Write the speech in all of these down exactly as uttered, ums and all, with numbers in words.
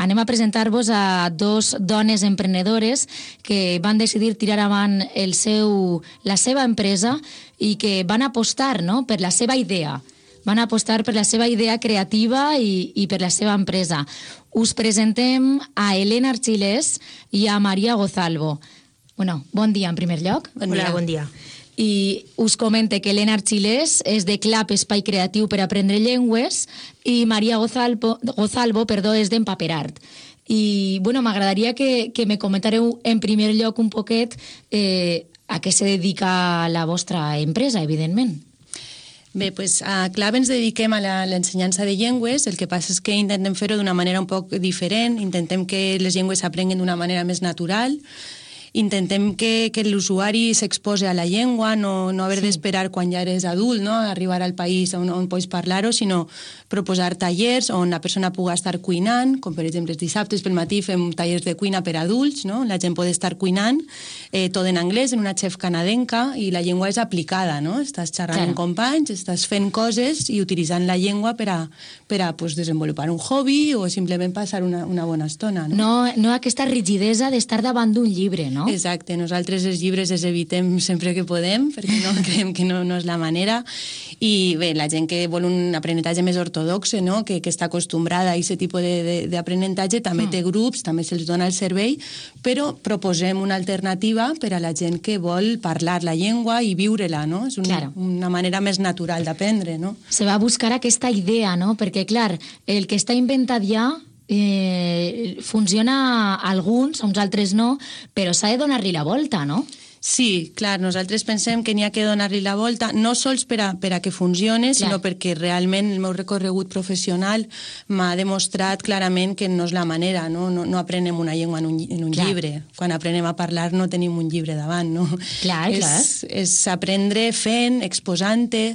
anem a presentar-vos a dos dones emprenedores que van decidir tirar avant el seu, la seva empresa i que van apostar, no?, per la seva idea. Van apostar per la seva idea creativa i, i per la seva empresa. Us presentem a Elena Archilés i a Maria Gozalvo. Bueno, bon dia en primer lloc. Bon dia. Hola, bon dia. I us comente que Elena Archilés és de Clap Espai Creatiu per aprendre llengües i Maria Gozalvo, Gozalvo perdó, és d'Empaperart. I, bueno, m'agradaria que, que me comentareu en primer lloc un poquet eh, a què se dedica la vostra empresa, evidentment. Bé, doncs a Clap ens dediquem a l'ensenyança de llengües, el que passa és que intentem fer-ho d'una manera un poc diferent, intentem que les llengües s'aprenguin d'una manera més natural, intentem que, que l'usuari s'expose a la llengua, no, no haver sí. d'esperar quan ja eres adult, no?, arribar al país on, on pots parlar-ho, sinó proposar tallers on la persona pugui estar cuinant, com per exemple els dissabtes pel matí fem tallers de cuina per adults, no?, la gent pot estar cuinant, eh, tot en anglès, en una xef canadenca, i la llengua és aplicada, no?, estàs xerrant claro. amb companys, estàs fent coses i utilitzant la llengua per a, per a pues, desenvolupar un hobby o simplement passar una, una bona estona. No, no, no aquesta rigidesa d'estar davant d'un llibre, no? Exacte, nosaltres els llibres els evitem sempre que podem, perquè no creiem que no, no és la manera, i bé, la gent que vol un aprenentatge més ortodoxe, no?, que, que està acostumbrada a aquest tipus d'aprenentatge, també mm. té grups, també se'ls dona el servei, però proposem una alternativa per a la gent que vol parlar la llengua i viure-la, no? És una, claro. una manera més natural d'aprendre, no? Se va a buscar aquesta idea, no?, perquè, clar, el que està inventat ja Eh, funciona a alguns, a uns altres no, però s'ha de donar-li la volta, no? Sí, clar, nosaltres pensem que n'hi ha que donar-li la volta, no sols per a, per a que funcione, clar. sinó perquè realment el meu recorregut professional m'ha demostrat clarament que no és la manera, no, no, no aprenem una llengua en un, en un llibre. Quan aprenem a parlar no tenim un llibre davant, no? Clar, és, clar. És aprendre fent, exposant-te.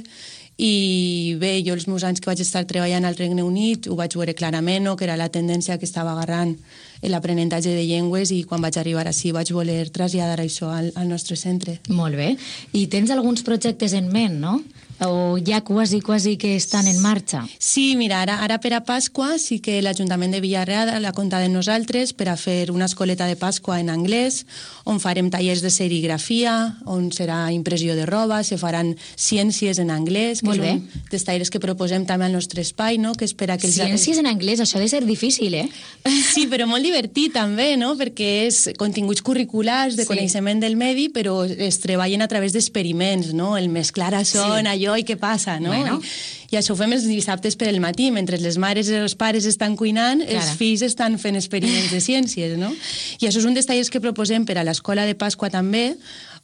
I bé, jo els meus anys que vaig estar treballant al Regne Unit ho vaig veure clarament, no?, que era la tendència que estava agarrant l'aprenentatge de llengües, i quan vaig arribar ací vaig voler traslladar això al, al nostre centre. Molt bé. I tens alguns projectes en ment, no? O ja quasi, quasi que estan en marxa? Sí, mira, ara, ara per a Pasqua sí que l'Ajuntament de Villarreal l'ha comptat en nosaltres per a fer una escoleta de Pasqua en anglès, on farem tallers de serigrafia, on serà impressió de roba, se faran ciències en anglès, que Molt són bé. dels tallers que proposem també al nostre espai, no?, que espera que els... Ciències en anglès, això ha de ser difícil, eh? Sí, però molt divertit també, no?, perquè és continguts curriculars de sí. coneixement del medi, però es treballen a través d'experiments, no?, el mesclar això en sí. allò i què passa, no? Bueno. I, I això ho fem els dissabtes per el matí, mentre les mares i els pares estan cuinant, claro. els fills estan fent experiments de ciències, no? I això és un dels tallers que proposem per a l'Escola de Pasqua també,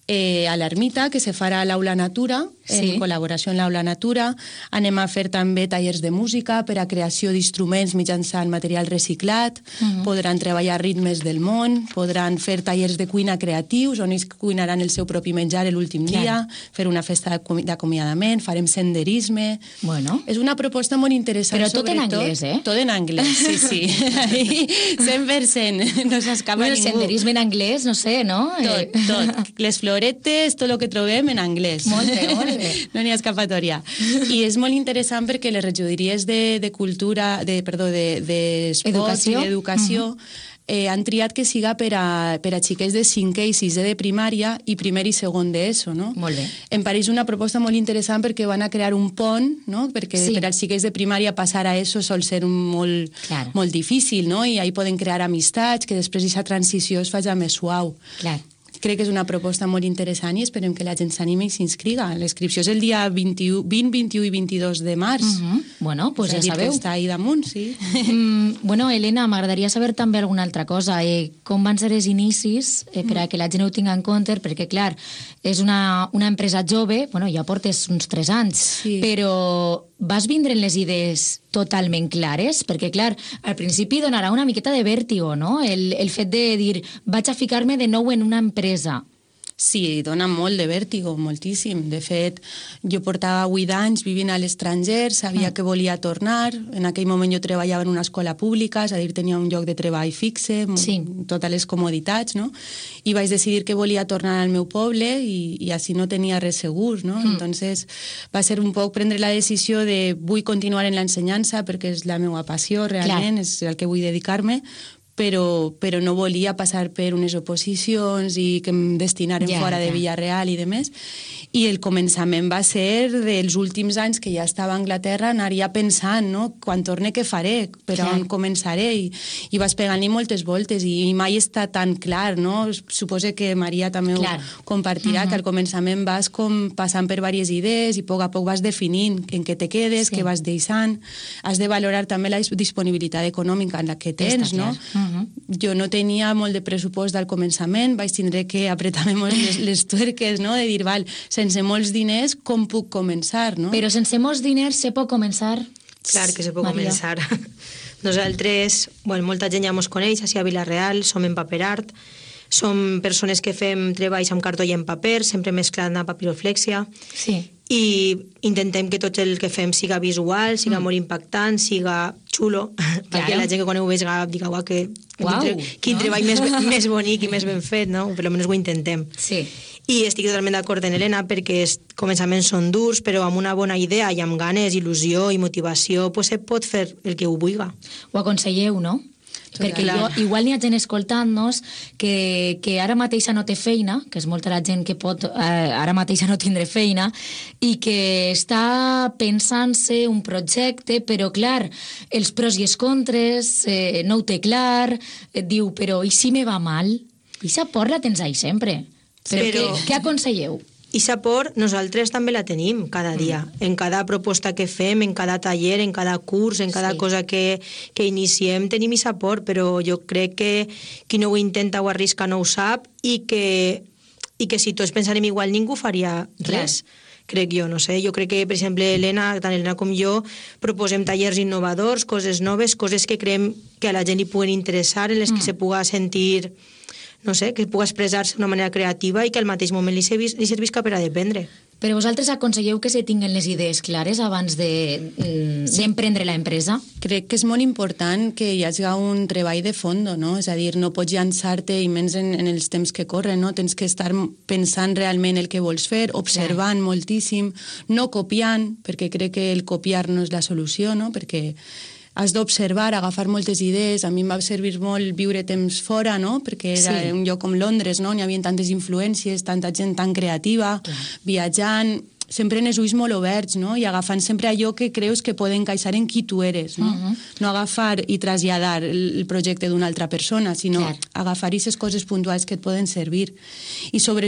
eh, a l'Ermita, que se farà a l'Aula Natura, sí. en col·laboració amb l'Aula Natura. Anem a fer també tallers de música per a creació d'instruments mitjançant material reciclat, uh-huh. podran treballar ritmes del món, podran fer tallers de cuina creatius, on ells cuinaran el seu propi menjar l'últim dia, claro. fer una festa d'acomiadament, farem senderisme... Bueno. És una proposta molt interessant. Però tot en anglès, eh? Tot en anglès, sí, sí. cent per cent, no s'escapa bueno, ningú. El senderisme en anglès, no sé, no? Tot, tot. Les floretes, tot el que trobem en anglès. Molt bé, molt bé. No n'hi ha escapatòria. I és molt interessant perquè les regidories de, de cultura, de, perdó, de, de esports i d'educació uh-huh. eh, han triat que siga per a, per a xiquets de cinquè i sisè de primària i primer i segon d'ESO, no? Molt bé. Em pareix una proposta molt interessant perquè van a crear un pont, no? Perquè sí. per als xiquets de primària passar a ESO sol ser molt, claro. molt difícil, no? I ahí poden crear amistats, que després aquesta transició es faci més suau. Clar. Crec que és una proposta molt interessant i esperem que la gent s'animi i s'inscriga. L'inscripció és el dia vint-i-u, vint, vint-i-u i vint-i-dos de març. Uh-huh. Bueno, pues ja sabeu. Està ahí damunt, sí. Mm, bueno, Elena, m'agradaria saber també alguna altra cosa. Eh, com van ser els inicis eh, per a que la gent ho tingui en compte? Perquè, clar, és una, una empresa jove, bueno, ja portes uns tres anys, sí. però vas vindre en les idees totalment clares? Perquè, clar, al principi donarà una miqueta de vèrtigo, no? El, el fet de dir, vaig a ficar-me de nou en una empresa. Sí, dona molt de vèrtigo, moltíssim. De fet, jo portava vuit anys vivint a l'estranger, sabia mm. que volia tornar. En aquell moment jo treballava en una escola pública, és a dir, tenia un lloc de treball fixe, sí. totes les comoditats, no? I vaig decidir que volia tornar al meu poble i, i així no tenia res segur, no? Mm. Entonces va ser un poc prendre la decisió de vull continuar en l'ensenyança perquè és la meva passió, realment, Clar. és el que vull dedicar-me, però, però no volia passar per unes oposicions i que em destinaren yeah, fora de yeah. Villarreal i demés. I el començament va ser dels últims anys que ja estava a Anglaterra, anaria pensant, no? Quan torne què faré, per yeah. on començaré, i, i vas pegant-li moltes voltes i, i mai està tan clar, no? Suposo que Maria també clar. ho compartirà, uh-huh. que al començament vas com passant per diverses idees i a poc a poc vas definint en què te quedes, sí. què vas deixant. Has de valorar també la disponibilitat econòmica en la que tens, no? Uh-huh. Jo no tenia molt de pressupost al començament, vaig tindre que apretar-me molt les, les tuerques, no? De dir, val, sense molts diners, com puc començar, no? Però sense molts diners se pot començar? Clar que se pot Maria. començar. Nosaltres, bueno, molta gent ja mos coneix, així a Vila-real, som en paper art, som persones que fem treballs amb cartó i en paper, sempre mesclant amb papiroflèxia, sí. i intentem que tot el que fem siga visual, siga mm. molt impactant, siga xulo, claro. perquè la gent que quan ho veig diga, uau, que, Uau, quin, tre quin no? treball més, més bonic i més ben fet, no? Per almenys ho intentem. Sí. I estic totalment d'acord amb Helena perquè els començaments són durs, però amb una bona idea i amb ganes, il·lusió i motivació, pues se pot fer el que ho vulga. Ho aconselleu, no? Total. Perquè jo, igual n'hi ha gent escoltant-nos que, que ara mateixa no té feina, que és molta la gent que pot eh, ara mateixa no tindre feina, i que està pensant-se un projecte, però clar, els pros i els contres, eh, no ho té clar, et diu, però i si me va mal? I sa por la tens ahí sempre. Però, però... Què, què aconselleu? I sa por nosaltres també la tenim cada dia, mm. en cada proposta que fem, en cada taller, en cada curs, en cada sí. cosa que, que iniciem, tenim sa por, però jo crec que qui no ho intenta o arrisca no ho sap i que, i que si tots pensarem igual ningú faria res. Clar. Crec jo, no sé. Jo crec que, per exemple, Helena, tant Helena com jo, proposem tallers innovadors, coses noves, coses que creiem que a la gent li puguen interessar, en les mm. que se puga sentir... no sé, que pugui expressar-se d'una manera creativa i que al mateix moment li, servis, li servisca per a dependre. Però vosaltres aconselleu que se tinguen les idees clares abans d'emprendre de, l'empresa? Crec que és molt important que hi hagi un treball de fons, no? És a dir, no pots llançar-te, i menys en, en els temps que corren, no? Tens que estar pensant realment el que vols fer, observant sí. moltíssim, no copiant, perquè crec que el copiar no és la solució, no? Perquè has d'observar, agafar moltes idees. A mi em va servir molt viure temps fora, no? Perquè era sí. un lloc com Londres, no? N'hi havia tantes influències, tanta gent tan creativa, clar. viatjant, sempre en els ulls molt oberts, no? I agafant sempre allò que creus que pot encaixar en qui tu eres, no? Uh-huh. No agafar i traslladar el projecte d'una altra persona, sinó clar. agafar aquestes coses puntuals que et poden servir. I sobretot